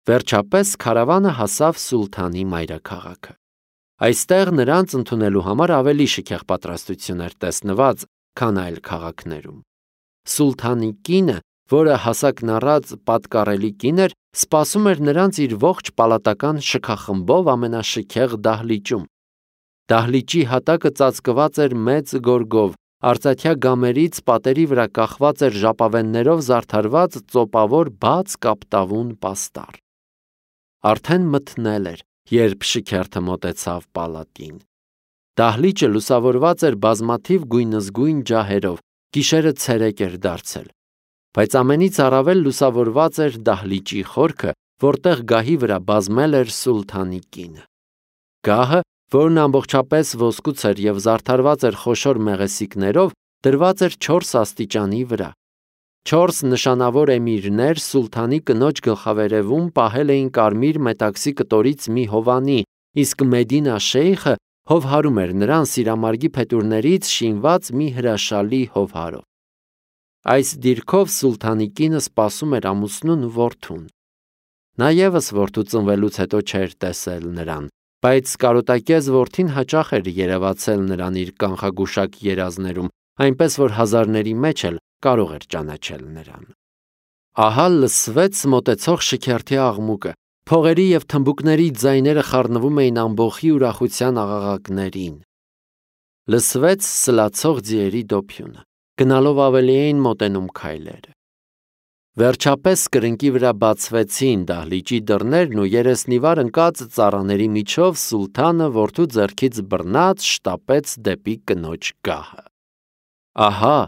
Վերջապես քարավանը հասավ սուլթանի մայրաքաղաքը։ Այստեղ նրանց ընդունելու համար ավելի շքեղ պատրաստություն էր տեսնված, քան այլ քաղաքներում։ Սուլթանի կինը, որը հասակն առած պատկառելի կին էր, սպասում էր նրանց իր ողջ պալատական շքախմբով ամենաշքեղ դահլիճում։ Դահլիճի հատակը ծածկված էր մեծ գորգով, արծաթյա գամերից պատերի վրա կախված էր ժապավեններով զարդարված ծոպավոր բաց կապտավուն պաստառ։ Արդեն մթնել էր, երբ շքերթը մոտեցավ պալատին։ Դահլիճը լուսավորված էր բազմաթիվ գույնզգույն ջահերով, գիշերը ցերեկ էր դարձել։ Բայց ամենից առավել լուսավորված էր դահլիճի խորքը, որտեղ գահի վրա բազմել էր սուլթանի կինը։ Գահը, որն ամբողջապես ոսկուց էր և զարդարված էր խոշոր մեղեսիկներով, դրված էր 4 աստիճանի վրա։ 4 նշանավոր էմիրներ սուլթանի կնոջ գլխավերևում պահել էին կարմիր մետաքսի կտորից մի հովանի, իսկ Մեդինա շեյխը հովհարում էր նրան սիրամարգի փետուրներից շինված մի հրաշալի հովհարով։ Այս դիրքով սուլթանի կինը սպասում էր ամուսնուն ու որդուն։ Նա ևս որդու ծնվելուց հետո չէր տեսել նրան, բայց կարոտակեզ որդին հաճախ էր երևացել նրան իր կանխագուշակ երազներում, այնպես որ հազարների մեջ էլ կարող էր ճանաչել նրան։ Ահա լսվեց մոտեցող շքերթի աղմուկը, փողերի և թմբուկների ձայները խառնվում էին ամբոխի ուրախության աղաղակներին։ Լսվեց սլացող ձիերի դոփյունը, գնալով ավելի էին մոտենում քայլերը։ Վերջապես կրկնակի վրա բացվեցին դահլիճի դռներն ու երեսնիվար ընկած ծառաների միջով սուլթանը որդու ձեռքից բռնած շտապեց դեպի կնոջ գահը։ Ահա,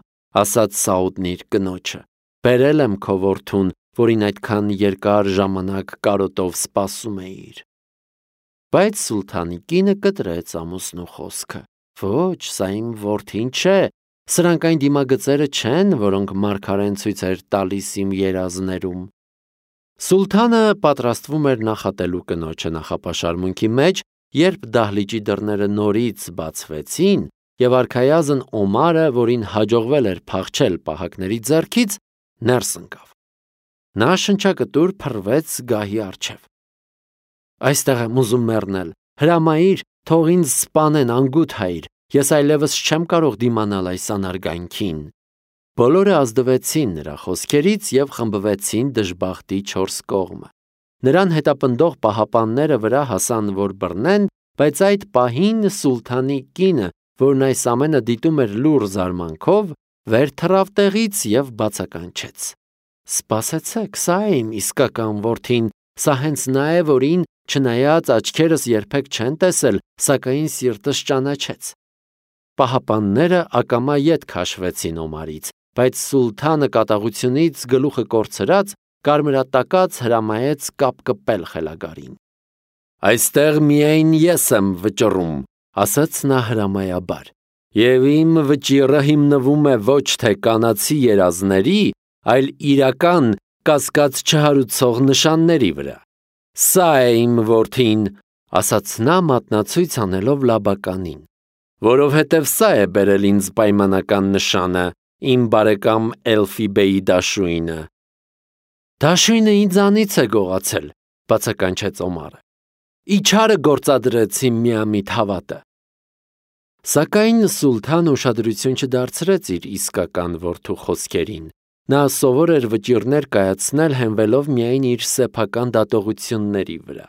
ասաց Սաուդն իր կնոջը, բերել եմ քո որդուն, որին այդքան երկար ժամանակ կարոտով սպասում էիր։ Բայց սուլթանի կինը կտրեց ամուսնու խոսքը։ Ոչ, սա իմ որդին չէ, սրանք այն դիմագծերը չեն, որոնք մարգարեն ցույց էր տալիս իմ երազներում։ Սուլթանը պատրաստվում էր նախատելու կնոջը նախապաշարմունքի մեջ, երբ դահլիճի դռները նորից բացվեցին, և արքայազն Օմարը, որին հաջողվել էր փախչել պահակների ձեռքից, ներս ընկավ։ Նա շնչակտուր փռվեց գահի առջև։ Այստեղ եմ ուզում մեռնել, հրամայիր, թող ինձ սպանեն, անգութ հայր, ես այլևս չեմ կարող դիմանալ այս անարգանքին։ Բոլորը ազդվեցին նրա խոսքերից և խմբվեցին դժբախտի 4 կողմը։ Նրան հետապնդող պահապանները վրա հասան, որ բռնեն, բայց այդ պահին սուլթանի կինը, որն այս ամենը դիտում էր լուռ զարմանքով, վեր թռավ տեղից և բացականչեց. Սպասեցեք, սա է իմ իսկական որդին, սա հենց նա է, որին, չնայած աչքերս երբեք չեն տեսել, սակայն սիրտս ճանաչեց։ Պահապանները ակամա ետ քաշվեցին Օմարից, բայց սուլթանը կատաղությունից գլուխը կորցրած, կարմրատակած հրամայեց կապկպել խելագարին։ Այստեղ միայն ես եմ վճռում, ասաց նա հրամայաբար, և իմ վճիռը հիմնվում է ոչ թե կանացի երազների, այլ իրական կասկած չհարուցող նշանների վրա։ Սա է իմ որդին, ասաց նա մատնացույց անելով Լաբականին, որովհետև սա է բերել ինձ պայմանական նշանը, իմ բարեկամ Էլֆիբեի դաշույնը։ Դաշույնը ինձանից է գողացել, բացականչեց Օմարը։ Իչարը գործադրեց իմ միամիտ հավատը։ Սակայն սուլթանը ուշադրություն չդարձրեց իր իսկական որդու խոսքերին։ Նա սովոր էր վճիռներ կայացնել հենվելով միայն իր սեփական դատողությունների վրա։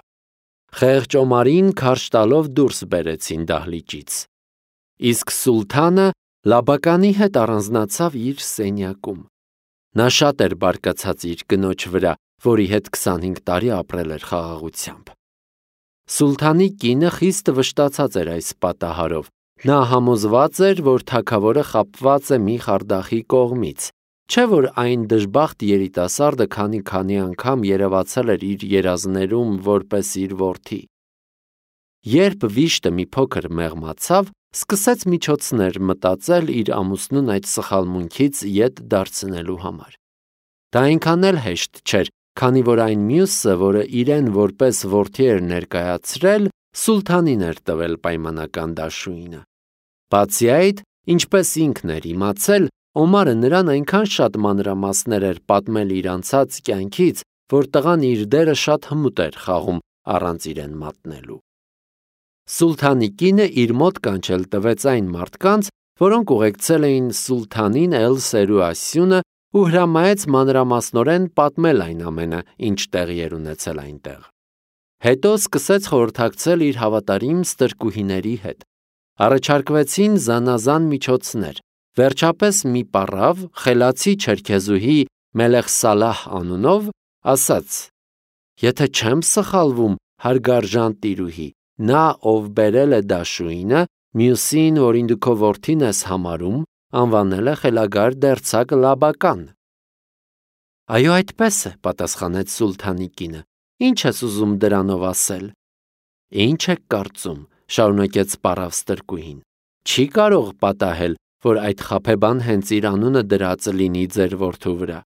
Խեղճ Օմարին քարշ տալով դուրս բերեցին դահլիճից։ Իսկ սուլթանը Լաբականի հետ առանձնացավ իր սենյակում։ Նա շատ էր բարկացած իր կնոջ վրա, որի հետ 25 տարի ապրել էր խաղաղությամբ։ Սուլթանի կինը խիստ վշտացած էր այս պատահարով։ Նա համոզված էր, որ թագավորը խաբված է մի խարդախի կողմից, չէ՞ որ այն դժբախտ երիտասարդը քանի անգամ երևացել էր իր երազներում որպես իր որդի։ Երբ վիշտը մի փոքր մեղմացավ, սկսեց միջոցներ մտածել իր ամուսնուն այդ սխալմունքից ետ դարձնելու համար։ Դա այնքան էլ հեշտ չէր, քանի որ այն մյուսը, որը իրեն որպես որդի էր ներկայացրել, սուլթանին էր տվել պայմանական դաշույնը։ Բացի այդ, ինչպես ինքն էր իմացել, Օմարը նրան այնքան շատ մանրամասներ էր պատմել իր անցած կյանքից, որ տղան իր դերը շատ հմուտ էր խաղում առանց իրեն մատնելու։ Սուլթանի կինը իր մոտ կանչել տվեց այն մարդկանց, որոնք ուղեկցել էին սուլթանին Էլ-Սերուասյունը ու հրամայեց մանրամասնորեն պատմել այն ամենը, ինչ տեղի էր ունեցել այնտեղ։ Հետո սկսեց խորհրդակցել իր հավատարիմ ստրկուհիների հետ։ Առաջարկվեցին զանազան միջոցներ։ Վերջապես մի պառավ, խելացի չերքեզուհի Մելեխ Սալահ անունով, ասաց. «Եթե չեմ սխալվում, հարգարժան տիրուհի, նա, ով բերել է դաշույնը, մյուսին, որին դու քո որդին ես համարում, անվանել է խելագար դերձակ Լաբական»։ «Այո, այդպես է», պատասխանեց սուլթանի կինը։ «Ինչ ես ուզում դրանով ասել»։ «Ինչ եք կարծում», շարունակեց պառավ ստրկուհին։ «Չի կարող պատահել, որ այդ խաբեբան հենց իր անունը դրած լինի ձեր որդու վրա։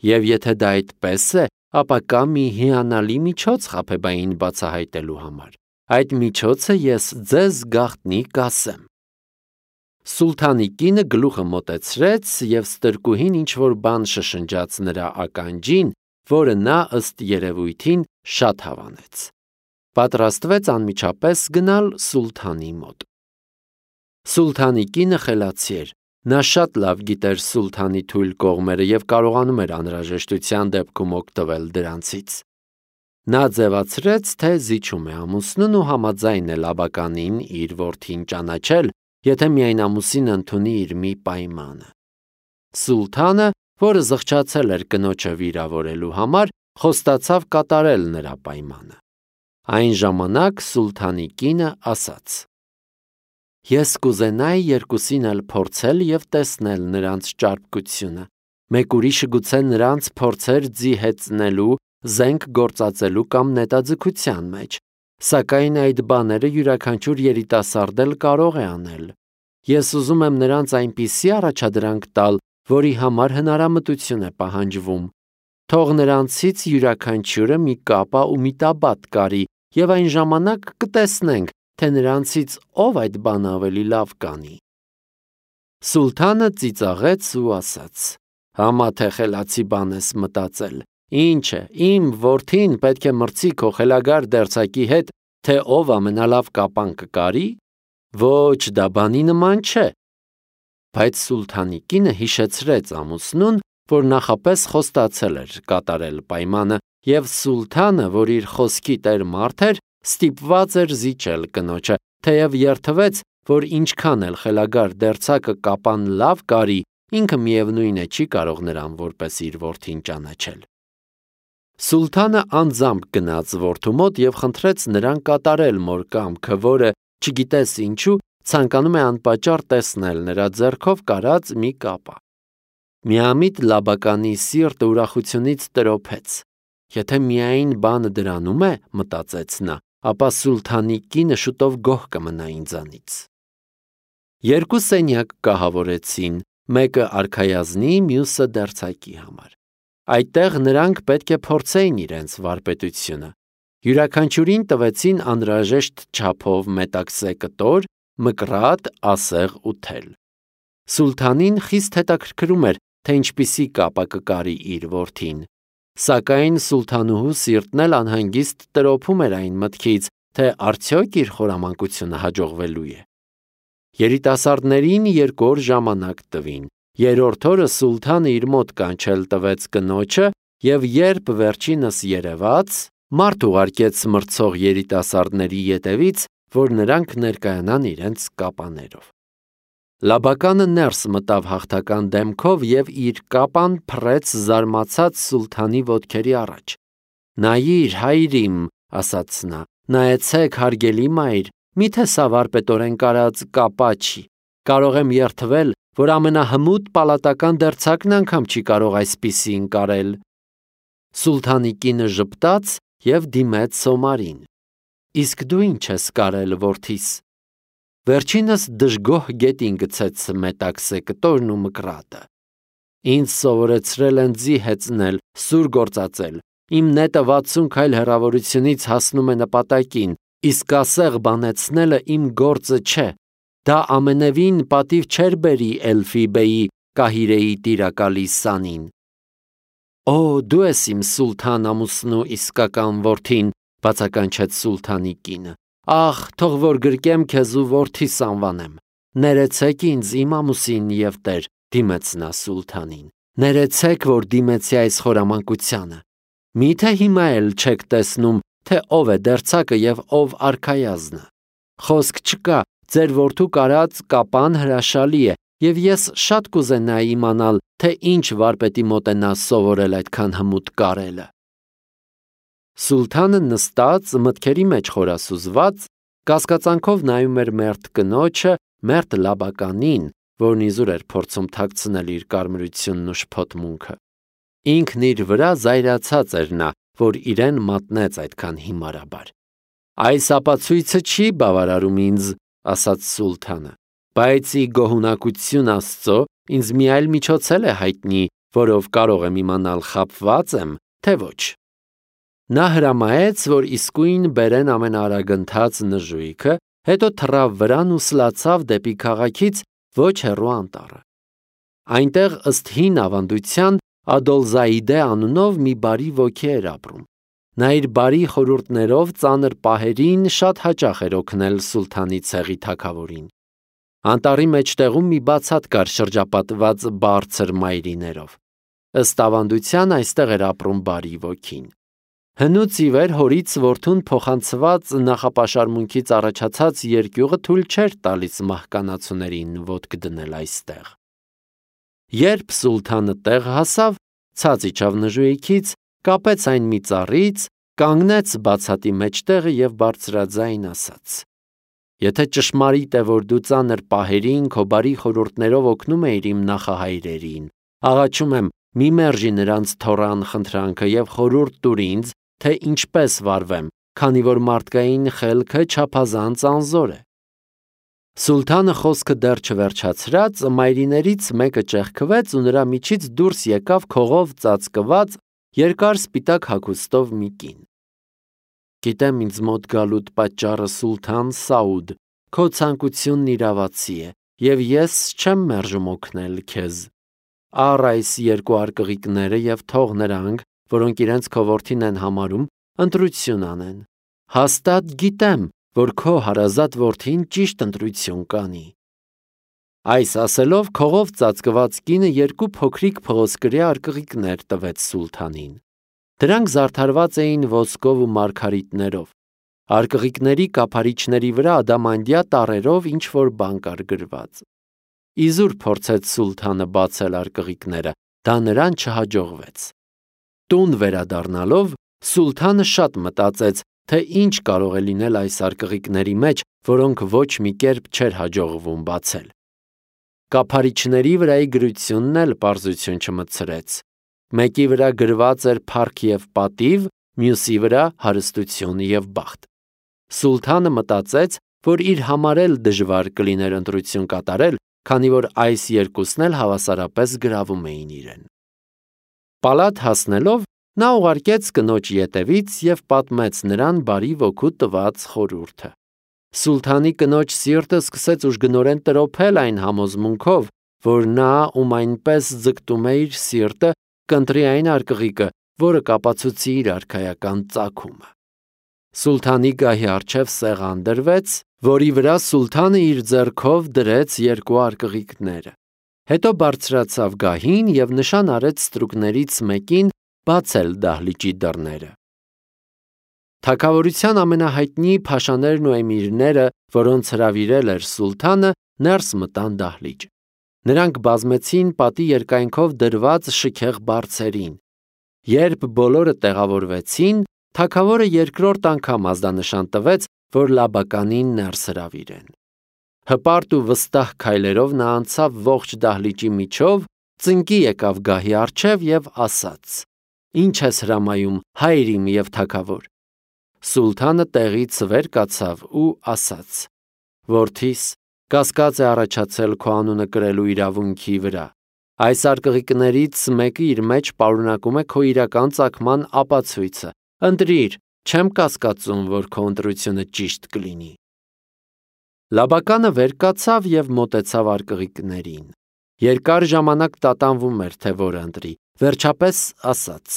Եվ եթե դա այդպես է, ապա կա մի հիանալի միջոց խաբեբային բացահայտելու համար։ Այդ միջոցը ես ձեզ գաղտնի կասեմ»։ Սուլթանի կինը գլուխը մոտեցրեց և ստրկուհին ինչ-որ բան շշնջաց նրա ականջին, որը նա ըստ երևույթին շատ հավանեց։ Պատրաստվեց անմիջապես գնալ սուլթանի մոտ։ Սուլթանի կինը խելացի էր։ Նա շատ լավ գիտեր սուլթանի թույլ կողմերը և կարողանում էր անհրաժեշտության դեպքում օգտվել դրանցից։ Նա ձևացրեց, թե զիջում է ամուսնուն ու համաձայն է Լաբականին իր որդին ճանաչել, եթե միայն ամուսինը ընդունի իր մի պայմանը։ Սուլթանը, որը զղջացել էր կնոջը վիրավորելու համար, խոստացավ կատարել նրա պայմանը։ Այն ժամանակ սուլթանի կինը ասաց. «Ես կուզենայի երկուսին էլ փորձել և տեսնել նրանց ճարպկությունը։ Մեկ ուրիշը գուցե նրանց փորձեր ձիհեցնելու, զենք գործածելու կամ նետաձգության մեջ, սակայն այդ բաները յուրաքանչյուր երիտասարդ էլ կարող է անել։ Ես ուզում եմ նրանց այնպիսի առաջադրանք տալ, որի համար հնարամտություն է պահանջվում։ Թող նրանցից յուրաքանչյուրը մի կապա ու մի տաբատ կարի, և այն ժամանակ կտեսնենք, թե նրանցից ով այդ բանը ավելի լավ կանի»։ Սուլթանը ծիծաղեց ու ասաց. «Համա թե խելացի բան ես մտածել։ Ինչ է, իմ որդին պետք է մրցի քո խելագար դերձակի հետ, թե ով ամենալավ կապան կկարի։ Ոչ, դա բանի նման չէ»։ Բայց սուլթանի կինը հիշեցրեց ամուսնուն, որ նախապես խոստացել էր կատարել պայմանը, և սուլթանը, որ իր խոսքի տեր մարդ էր, ստիպված էր զիջել կնոջը, թեև երդվեց, որ ինչքան էլ խելագար դերձակը կապան լավ կարի, ինքը միևնույն է չի կարող նրան որպես իր որդին ճանաչել։ Սուլթանը անձամբ գնաց որդու մոտ և խնդրեց նրան կատարել մոր կամքը, որը, չգիտես ինչու, ցանկանում է անպատճառ տեսնել նրա ձեռքով կարած մի կապա։ Միամիտ Լաբականի սիրտը ուրախությունից տրոփեց։ Եթե միայն բանը դրանում է, մտածեց նա, ապա սուլթանի կինը շուտով գոհ կմնա ինձանից։ Երկու սենյակ կահավորեցին, մեկը արքայազնի, մյուսը դերձակի համար։ Այդտեղ նրանք պետք է փորձեին իրենց վարպետությունը։ Յուրաքանչյուրին տվեցին անհրաժեշտ չափով մետաքսե կտոր, մկրատ, ասեղ ու թել։ Սուլթանին խիստ հետաքրքրում էր, թե ինչպիսի կապա կկարի իր որդին։ Սակայն սուլթանուհու սիրտն էլ անհանգիստ տրոփում էր այն մտքից, թե արդյոք իր խորամանկությունը հաջողվելու է։ Երիտասարդներին 2 օր ժամանակ տվին։ Երրորդ օրը սուլթանը իր մոտ կանչել տվեց կնոջը և երբ վերջինս երևաց, մարդ ուղարկեց մրցող երիտասարդների ետևից, որ նրանք ներկայանան իրենց կապաներով։ Լաբականը ներս մտավ հաղթական դեմքով և իր կապան փռեց զարմացած սուլթանի ոտքերի առաջ։ «Նայիր, հայր իմ», ասաց նա, «նայեցեք, հարգելի մայր, միթե սա վարպետորեն կարած կապա չի։ Կարող եմ երդվել, որ ամենահմուտ պալատական դերձակն անգամ չի կարող այսպիսին կարել»։ Սուլթանի կինը ժպտաց և դիմեց Սոմարին. «Իսկ դու ինչ ես կարել, որդիս»։ Վերջինս դժգոհ գետին գցեց մետաքսե կտորն ու մկրատը։ «Ինձ սովորեցրել են ձի հեծնել, սուր գործածել։ Իմ նետը 60 քայլ հեռավորությունից հասնում է նպատակին, իսկ ասեղ բանեցնելը իմ գործը չէ։ Դա ամենևին պատիվ չէր բերի Էլֆի բեյի Կահիրեի տիրակալի սանին»։ Օ, դու ես իմ սուլթան ամուսնու իսկական որդին, բացականչեց սուլթանի կինը։ Ախ, թող որ գրկեմ քեզ ու որդիս անվանեմ։ Ներեցեք ինձ իմ ամուսին եւ տեր, դիմեց նա սուլթանին։ Ներեցեք, որ դիմեցի այս խորամանկությանը։ Միթե հիմա էլ չեք տեսնում, թե ով է դերձակը եւ ով արքայազնը։ Խոսք չկա, ձեր որդու կարած կապան հրաշալի է, եւ ես շատ կուզենայի իմանալ, թե ինչ վարպետի մոտ է նա սովորել այդքան հմուտ կարելը։ Սուլթանը նստած, մտքերի մեջ խորասուզված, կասկածանքով նայում էր մերթ կնոջը, մերթ Լաբականին, որն իզուր էր փորձում թաքցնել իր կարմրությունն ու շփոթմունքը։ Ինքն իր վրա զայրացած էր նա, որ իրեն մատնեց այդքան հիմարաբար։ Այս ապացույցը չի բավարարում ինձ, ասաց սուլթանը, բայց ի գոհունակություն Աստծո ինձ մի այլ միջոց է հայտնի, որով կարող եմ իմանալ խաբված եմ, թե ոչ։ Նա հրամայեց, որ իսկույն բերեն ամենաարագընթաց նժույգը, հետո թռավ վրան ու սլացավ դեպի քաղաքից ոչ հեռու անտառը։ Այնտեղ ըստ հին ավանդության Ադոլզայիդե անունով մի բարի ոգի էր ապրում։ Նա իր բարի խորհուրդներով ծանր պահերին շատ հաճախ էր օգնել սուլթանի ցեղի թագավորին։ Անտառի մեջտեղում մի բացատ կար շրջապատված բարձր մայրիներով։ Ըստ ավանդության այստեղ էր ապրում բարի ոգին։ Հնուց ի վեր հորից որդուն փոխանցված նախապաշարմունքից առաջացած երկյուղը թույլ չէր տալիս մահկանացուներին ոտք դնել այստեղ։ Երբ սուլթանը տեղ հասավ, ցած իջավ նժույգից, կապեց այն մի ծառից, կանգնեց բացատի մեջտեղը եւ բարձրաձայն ասաց. Եթե ճշմարիտ է, որ դու ծանր պահերին քո բարի խորհուրդներով օգնում էիր իմ նախահայրերին, աղաչում եմ, մի մերժի նրանց թոռան խնդրանքը եւ խորհուրդ տուր ինձ, թե ինչպես վարվեմ, քանի որ մարդկային խելքը չափազանց անզոր է։ Սուլթանը խոսքը դեռ չվերջացրած, մայրիներից մեկը ճեղքվեց ու նրա միջից դուրս եկավ քողով ծածկված, երկար սպիտակ հագուստով մի կին։ Գիտեմ ինձ մոտ գալուտ պատճառը Սուլթան Սաուդ, քո ցանկությունն իրավացի է, եւ ես չեմ մերժում օգնել քեզ։ Առ այս երկու արկղիկները եւ թող նրանք, որոնք իրենց քո որդին են համարում, ընտրություն անեն։ Հաստատ գիտեմ, որ քո հարազատ որդին ճիշտ ընտրություն կանի։ Այս ասելով քողով ծածկված կինը երկու փոքրիկ փղոսկրի արկղիկներ տվեց սուլթանին։ Դրանք զարդարված էին ոսկով ու մարգարիտներով։ Արկղիկների կափարիչների վրա ադամանդյա տառերով ինչ-որ բան կար գրված։ Իզուր փորձեց սուլթանը բացել արկղիկները, դա նրան չհաջողվեց։ Տուն վերադառնալով, սուլթանը շատ մտածեց, թե ինչ կարող է լինել այս արկղիկների մեջ, որոնք ոչ մի կերպ չէր հաջողվում բացել։ Կափարիչների վրայի գրությունն էլ պարզություն չմտցրեց։ Մեկի վրա գրված էր փառք եւ պատիվ, մյուսի վրա հարստություն եւ բախտ։ Սուլթանը մտածեց, որ իր համար էլ դժվար կլիներ ընտրություն կատարել, քանի որ այս երկուսն էլ հավասարապես գրավում էին իրեն։ Պալատ հասնելով, նա ուղարկեց կնոջ ետևից եւ պատմեց նրան բարի ոգու տված խորհուրդը։ Սուլթանի կնոջ սիրտը սկսեց ուժգնորեն տրոփել այն համոզմունքով, որ նա, ում այնպես ձգտում է իր սիրտը, կընտրի այն արկղիկը, որը կապացուցի իր արքայական ծագումը։ Սուլթանի գահի առջև սեղան դրվեց, որի վրա սուլթանը իր ձեռքով դրեց երկու արկղիկները։ Հետո բարձրացավ գահին եւ նշան արեց ստրուկներից մեկին բացել դահլիճի դռները։ Թագավորության ամենահայտնի փաշաներն ու էմիրները, որոնց հրավիրել էր սուլթանը, ներս մտան դահլիճ։ Նրանք բազմեցին պատի երկայնքով դրված շքեղ բարձերին։ Երբ բոլորը տեղավորվեցին, թագավորը երկրորդ անգամ ազդանշան տվեց, որ Լաբականին ներս հրավիրեն։ Հպարտ ու վստահ քայլերով նա անցավ ողջ դահլիճի միջով, ծնկի եկավ գահի առջև եւ ասաց. Ինչ ես հրամայում, հայր իմ եւ թագավոր։ Սուլթանը տեղից վեր կացավ ու ասաց. Որդիս, կասկած է առաջացել քո անունը կրելու իրավունքի վրա։ Այս արկղիկներից մեկը իր մեջ պարունակում է քո իրական ծագման ապացույցը։ Ընտրիր, չեմ կասկածում, որ քո ընտրությունը ճիշտ կլինի։ Լաբականը վեր կացավ եւ մոտեցավ արկղիկներին։ Երկար ժամանակ տատանվում էր, թե որը ընտրի, Վերջապես ասաց.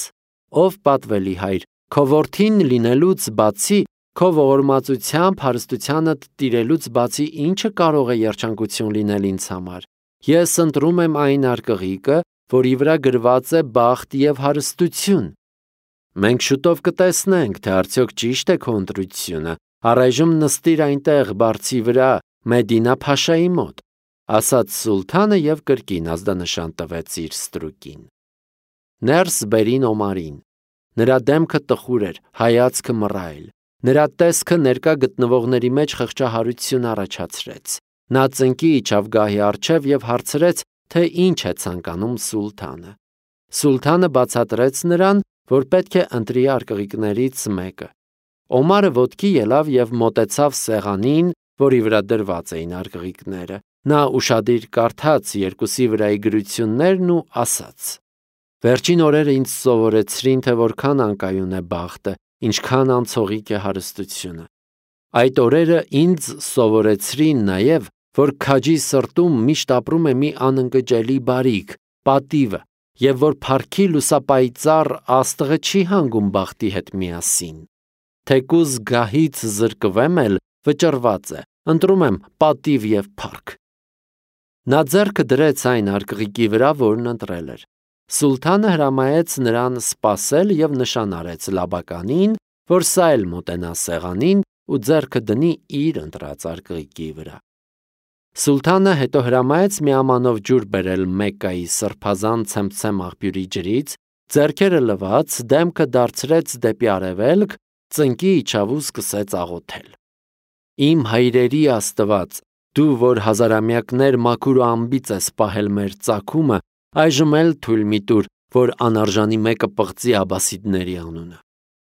«Ով պատվելի հայր, քո որդին լինելուց բացի, քո ողորմածությամբ հարստությանդ տիրելուց բացի ինչը կարող է երջանկություն լինել ինձ համար։ Ես ընտրում եմ այն արկղիկը, որի վրա գրված է բախտ և հարստություն։ Մենք շուտով կտեսնենք, թե արդյոք ճիշտ է քո ընտրությունը։ Առայժմ նստիր այնտեղ բարձի վրա, Մեդինա փաշայի մոտ», ասաց սուլթանը և կրկին ազդանշան տվեց իր ստրուկին։ Ներս բերին Օմարին։ Նրա դեմքը տխուր էր, հայացքը մռայլ։ Նրա տեսքը ներկա գտնվողների մեջ խղճահարություն առաջացրեց։ Նա ծնկի իջավ գահի առջև և հարցրեց, թե ինչ է ցանկանում սուլթանը։ Սուլթանը բացատրեց նրան, որ պետք է ընտրի արկղիկներից մեկը։ Օմարը ոտքի ելավ և մոտեցավ սեղանին, որի վրա դրված էին արկղիկները։ Նա ուշադիր կարդաց երկուսի վրայի գրություններն ու ասաց. «Վերջին օրերը ինձ սովորեցրին, թե որքան անկայուն է բախտը, ինչքան անցողիկ է հարստությունը։ Այդ օրերը ինձ սովորեցրին նաև, որ քաջի սրտում միշտ ապրում է մի անընկճելի բարիք, պատիվը, և որ փառքի լուսապայծառ աստղը չի հանգում բախտի հետ միասին։ Թեկուզ գահից զրկվեմ էլ, վճռված է, ընտրում եմ պատիվ և փառք»։ Նա ձեռքը դրեց այն արկղիկի վրա, որն ընտրել էր։ Սուլթանը հրամայեց նրան սպասել և նշան արեց Լաբականին, որ սա էլ մոտենա սեղանին ու ձեռքը դնի իր ընտրած արկղիկի վրա։ Սուլթանը հետո հրամայեց մի ամանով ջուր բերել Մեկկայի սրբազան ցեմցեմ աղբյուրի ջրից, ձեռքերը լվաց, դեմքը դարձրեց դեպի արևելք, ծնկի իջավ ու սկսեց աղոթել. «Իմ հայրերի Աստված, դու, որ հազարամյակներ մաքուր ու անբիծ ես պահել մեր ծագումը, այժմ էլ թույլ մի տուր, որ անարժանի մեկը պղծի աբասիդների անունը։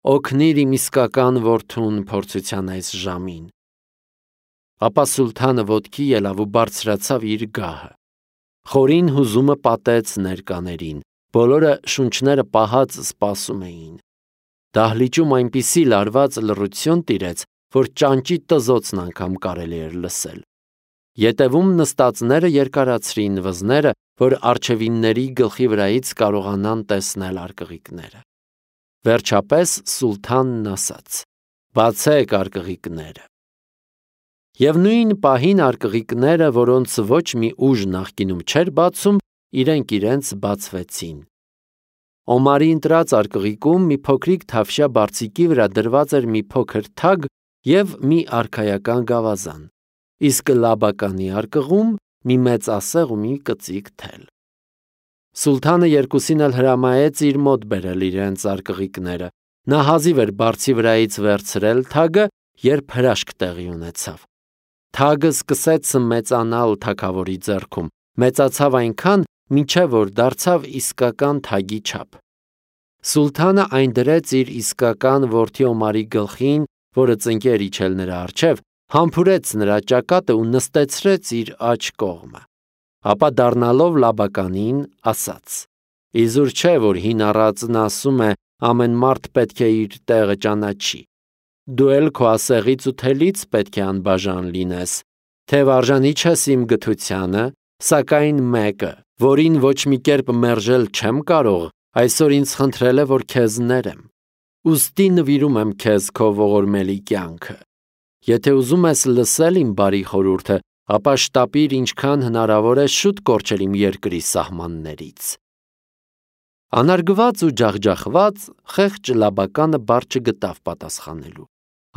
Օգնիր իմ իսկական որդուն փորձության այս ժամին»։ Ապա սուլթանը ոտքի ելավ ու բարձրացավ իր գահը։ Խորին հուզումը պատեց ներկաներին, բոլորը շունչները պահած սպասում էին։ Դահլիճում այնպիսի լարված լռություն տիրեց, որ ճանճի տզոցն անգամ կարելի էր լսել։ Ետևում նստածները երկարացրին վզները, որ առջևինների գլխի վրայից կարողանան տեսնել արկղիկները։ Վերջապես սուլթանն ասաց. «Բացեք արկղիկները»։ Եվ նույն պահին արկղիկները, որոնց ոչ մի ուժ նախկինում չէր բացում, իրենք բացվեցին։ Օմարի ընտրած արկղիկում մի փոքրիկ թավշյա բարձիկի վրա դրված էր մի փոքր թագ և մի արքայական գավազան, իսկ Լաբականի արկղում մի մեծ ասեղ ու մի կծիկ թել։ Սուլթանը երկուսին էլ հրամայեց իր մոտ բերել իրենց արկղիկները։ Նա հազիվ էր բարձի վրայից վերցրել թագը, երբ հրաշք տեղի ունեցավ։ Թագը սկսեց մեծանալ թագավորի ձեռքում, մեծացավ այնքան, մինչև որ դարձավ իսկական թագի չափ։ Սուլթանը այն դրեց իր իսկական որդի Օմարի գլխին, որը ծնկի էր իջել նրա առջև, համբուրեց նրա ճակատը ու նստեցրեց իր աջ կողմը։ Ապա դառնալով Լաբականին, ասաց. «Իզուր չէ, որ հին առածն ասում է. ամեն մարդ պետք է իր տեղը ճանաչի։ Դու էլ քո ասեղից ու թելից պետք է անբաժան լինես, թեև արժանի չես իմ գթությանը, սակայն մեկը, որին ոչ մի կերպ մերժել չեմ կարող, այսօր ինձ խնդրել է, որ քեզ ներեմ։ Ուստի նվիրում եմ քեզ քո ողորմելի կյանքը։ Եթե ուզում ես լսել իմ բարի խորհուրդը, ապա շտապիր ինչքան հնարավոր է շուտ կորչել իմ երկրի սահմաններից»։ Անարգված ու ջախջախված, խեղճ Լաբականը բառ չգտավ պատասխանելու։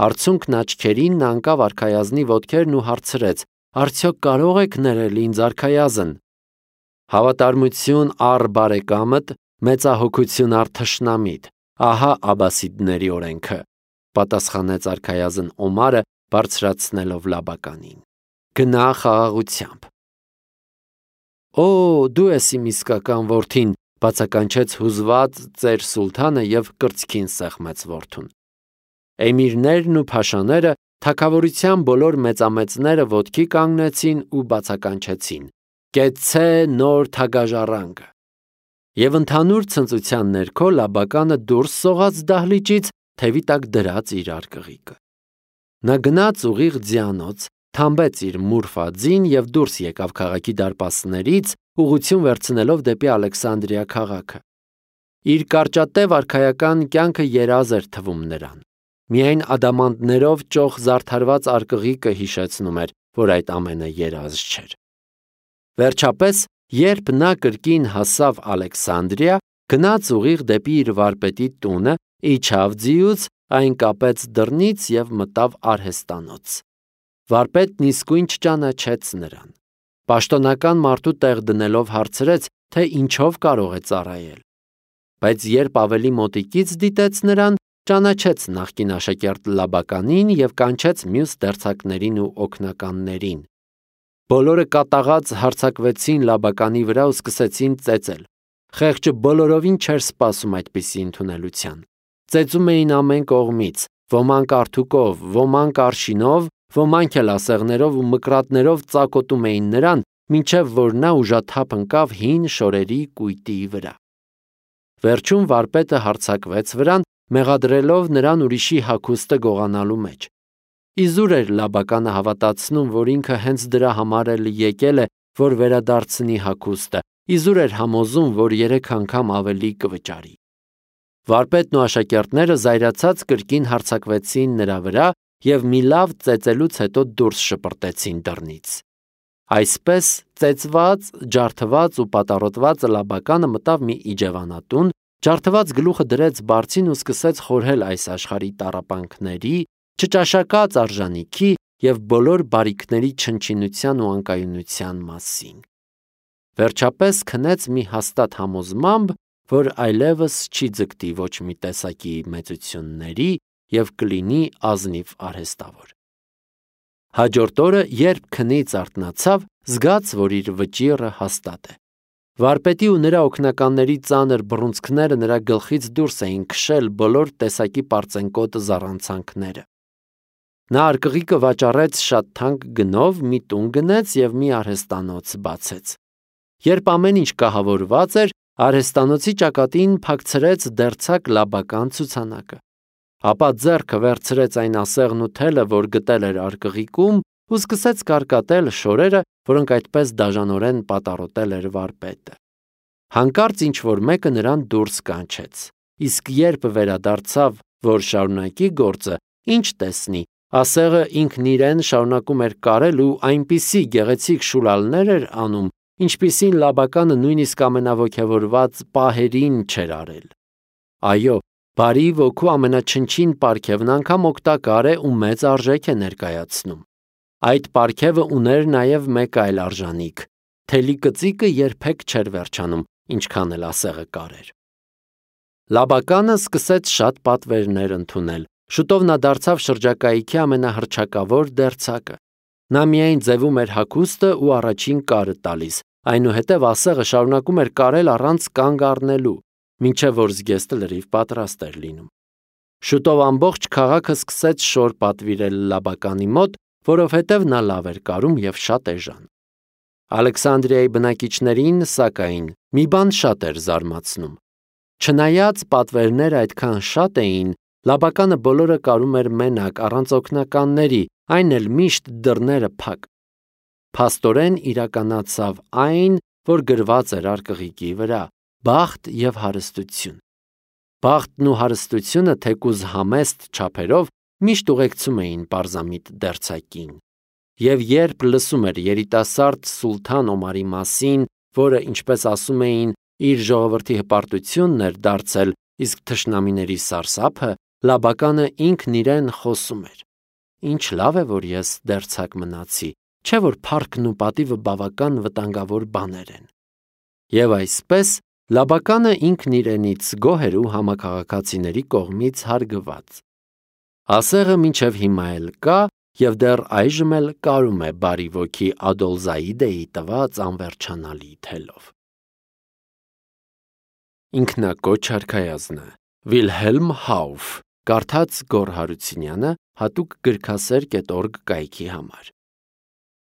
Արցունքն աչքերին նա ընկավ արքայազնի ոտքերն ու հարցրեց. «Արդյոք կարող եք ներել ինձ արքայազն»։ «Հավատարմություն առ բարեկամդ, մեծահոգություն առ թշնամիդ, ահա աբասիդների օրենքը», պատասխանեց արքայազն Օմարը, բարձրացնելով Լաբականին։ «Գնա խաղաղությամբ»։ «Օ, դու ես իմ իսկական որդին», բացականչեց հուզված ծեր սուլթանը և կրծքին սեղմեց որդուն։ Էմիրներն ու փաշաները, թագավորության բոլոր մեծամեծները ոտքի կանգնեցին ու բացականչեցին. «Կեցցե նոր թագաժառանգը»։ Եվ ընդհանուր ցնծության ներքո Լաբականը դուրս սողաց դահլիճից, թևի տակ դրած իր արկղիկը։ Նա գնաց ուղիղ ձիանոց, թամբեց իր մուրֆա-ձին և դուրս եկավ քաղաքի դարպասներից, ուղղություն վերցնելով դեպի Ալեքսանդրիա քաղաքը։ Իր կարճատև արքայական կյանքը երազ էր թվում նրան։ Միայն ադամանդներով ճոխ զարդարված արկղիկը հիշեցնում էր, որ այդ ամենը երազ չէր։ Վերջապես, երբ նա կրկին հասավ Ալեքսանդրիա, գնաց ուղիղ դեպի իր վարպետի տունը, իջավ ձիուց, այն կապեց դռնից և մտավ արհեստանոց։ Վարպետն իսկույն չճանաչեց նրան։ Պաշտոնական մարդու տեղ դնելով հարցրեց, թե ինչով կարող է ծառայել։ Բայց երբ ավելի մոտիկից դիտեց նրան, ճանաչեց նախկին աշակերտ Լաբականին և կանչեց մյուս դերձակներին ու օգնականներին։ Բոլորը կատաղած հարձակվեցին Լաբականի վրա ու սկսեցին ծեծել։ Խեղճը բոլորովին չէր սպասում այդպիսի ընդունելության։ Ծեծում էին ամեն կողմից, ոմանք արթուկով, ոմանք արշինով, ոմանք էլ ասեղներով ու մկրատներով ծակոտում էին նրան, մինչև որ նա ուժաթափ ընկավ հին շորերի կույտի վրա։ Վերջում վարպետը հարձակվեց վրան, մեղադրելով նրան ուրիշի հագուստը գողանալու մեջ։ Իզուր էր Լաբականը հավատացնում, որ ինքը հենց դրա համար էլ եկել է, որ վերադարձնի հագուստը, իզուր էր համոզում, որ 3 անգամ ավելի կվճարի։ Վարպետն ու աշակերտները զայրացած կրկին հարձակվեցին նրա վրա և մի լավ ծեծելուց հետո դուրս շպրտեցին դռնից։ Այսպես ծեծված, ջարդված ու պատառոտված Լաբականը մտավ մի իջևանատուն, ջարդված գլուխը դրեց բարձին ու սկսեց խորհել այս աշխարհի տառապանքների, չճաշակած արժանիքի և բոլոր բարիքների չնչինության ու անկայունության մասին։ Վերջապես քնեց մի հաստատ համոզմամբ, որ այլևս չի ձգտի ոչ մի տեսակի մեծությունների և կլինի ազնիվ արհեստավոր։ Հաջորդ օրը, երբ քնից արթնացավ, զգաց, որ իր վճիռը հաստատ է։ Վարպետի ու նրա օգնականների ծանր բռունցքները նրա գլխից դուրս էին քշել բոլոր տեսակի պարծենկոտ զառանցանքները։ Նա արկղիկը վաճառեց շատ թանկ գնով, մի տուն գնեց և մի արհեստանոց բացեց։ Երբ ամեն ինչ կահավորված էր, արհեստանոցի ճակատին փակցրեց դերձակ Լաբական ցուցանակը։ Ապա ձեռքը վերցրեց այն ասեղն ու թելը, որ գտել էր արկղիկում, ու սկսեց կարկատել շորերը, որոնք այդպես դաժանորեն պատառոտել էր վարպետը։ Հանկարծ ինչ-որ մեկը նրան դուրս կանչեց, իսկ երբ վերադարձավ, որ շարունակի գործը, ինչ տեսնի, ասեղը ինքն իրեն շարունակում էր կարել ու այնպիսի գեղեցիկ շուլալներ էր անում, ինչպիսին Լաբականը նույնիսկ ամենաոգևորված պահերին չէր արել։ Այո, բարի ոգու ամենաչնչին պարգևն անգամ օգտակար է ու մեծ արժեք է ներկայացնում։ Այդ պարգևը ուներ նաև մեկ այլ արժանիք. թելի կծիկը երբեք չէր վերջանում, ինչքան էլ ասեղը կարեր։ Լաբականը սկսեց շատ պատվերներ ընդունել։ Շուտով նա դարձավ շրջակայքի ամենահռչակավոր դերձակը։ Նա միայն ձևում էր հագուստը ու առաջին կարը տալիս, այնուհետև ասեղը շարունակում էր կարել առանց կանգ առնելու, մինչև որ զգեստը լրիվ պատրաստ էր լինում։ Շուտով ամբողջ քաղաքը սկսեց շոր պատվիրել Լաբականի մոտ, որովհետև նա լավ էր կարում և շատ էժան։ Ալեքսանդրիայի բնակիչներին, սակայն, մի բան շատ էր զարմացնում։ Չնայած պատվերները այդքան շատ էին, Լաբականը բոլորը կարում էր մենակ, առանց օգնականների, այն էլ միշտ դռները փակ։ Փաստորեն իրականացավ այն, որ գրված էր արկղիկի վրա՝ բախտ և հարստություն։ Բախտն ու հարստությունը, թեկուզ համեստ չափերով, միշտ ուղեկցում էին պարզամիտ դերձակին։ Եվ երբ լսում էր երիտասարդ Սուլթան Օմարի մասին, որը, ինչպես ասում էին, իր ժողովրդի հպարտությունն էր դարձել, իսկ թշնամիների սարսափը, Լաբականը ինքն իրեն խոսում էր. «Ինչ լավ է, որ ես դերձակ մնացի, չէ՞ որ փառքն ու պատիվը բավական վտանգավոր բաներ են»։ Եվ այսպես Լաբականը ինքն իրենից գոհ էր ու համաքաղաքացիների կողմից հարգված։ Ասեղը մինչև հիմա էլ կա և դեռ այժմ էլ կարում է բարի ոգի Ադոլզաիդեի տված անվերջանալի թելով։ Ինքնակոչ արքայազնը Վիլհելմ Հաուֆ, կարդաց Գոռ Հարությունյանը, հատուկ գրքասեր.org կայքի համար։